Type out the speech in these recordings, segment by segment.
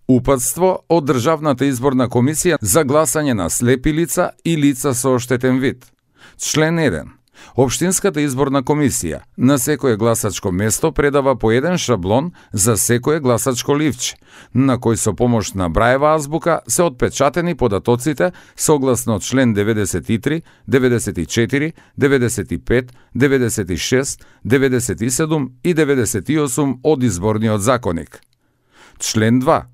Упатство од Државната изборна комисија за гласање на слепи лица и лица со оштетен вид. Член 1. Општинската изборна комисија на секое гласачко место предава по еден шаблон за секое гласачко ливче, на кој со помош на браева азбука се отпечатени податоците согласно член 93, 94, 95, 96, 97 и 98 од Изборниот законник. Член 2.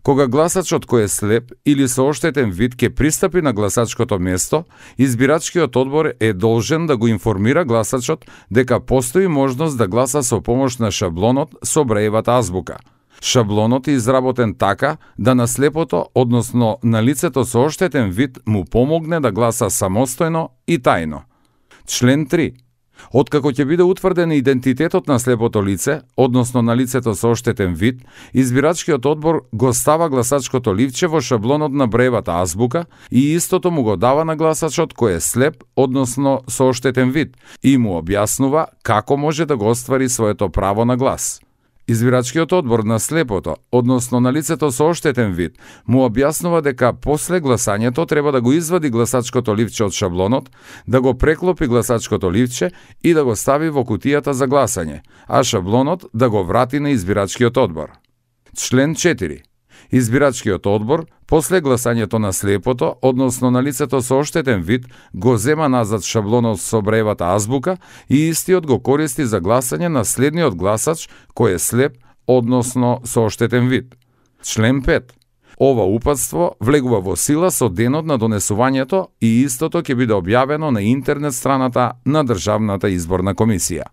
Кога гласачот кој е слеп или со оштетен вид ќе пристапи на гласачкото место, избирачкиот одбор е должен да го информира гласачот дека постои можност да гласа со помош на шаблонот со браевата азбука. Шаблонот е изработен така да на слепото, односно на лицето со оштетен вид, му помогне да гласа самостојно и тајно. Член 3. Откако ќе биде утврден идентитетот на слепото лице, односно на лицето со оштетен вид, избирачкиот одбор го става гласачкото ливче во шаблонот на браевата азбука и истото му го дава на гласачот кој е слеп, односно со оштетен вид, и му објаснува како може да го оствари своето право на глас. Избирачкиот одбор на слепото, односно на лицето со оштетен вид, му објаснува дека после гласањето треба да го извади гласачкото ливче од шаблонот, да го преклопи гласачкото ливче и да го стави во кутијата за гласање, а шаблонот да го врати на избирачкиот одбор. Член 4. Избирачкиот одбор, после гласањето на слепото, односно на лицето со оштетен вид, го зема назад шаблонот со браевата азбука и истиот го користи за гласање на следниот гласач кој е слеп, односно со оштетен вид. Член 5. Ова упатство влегува во сила со денот на донесувањето и истото ќе биде објавено на интернет страната на Државната изборна комисија.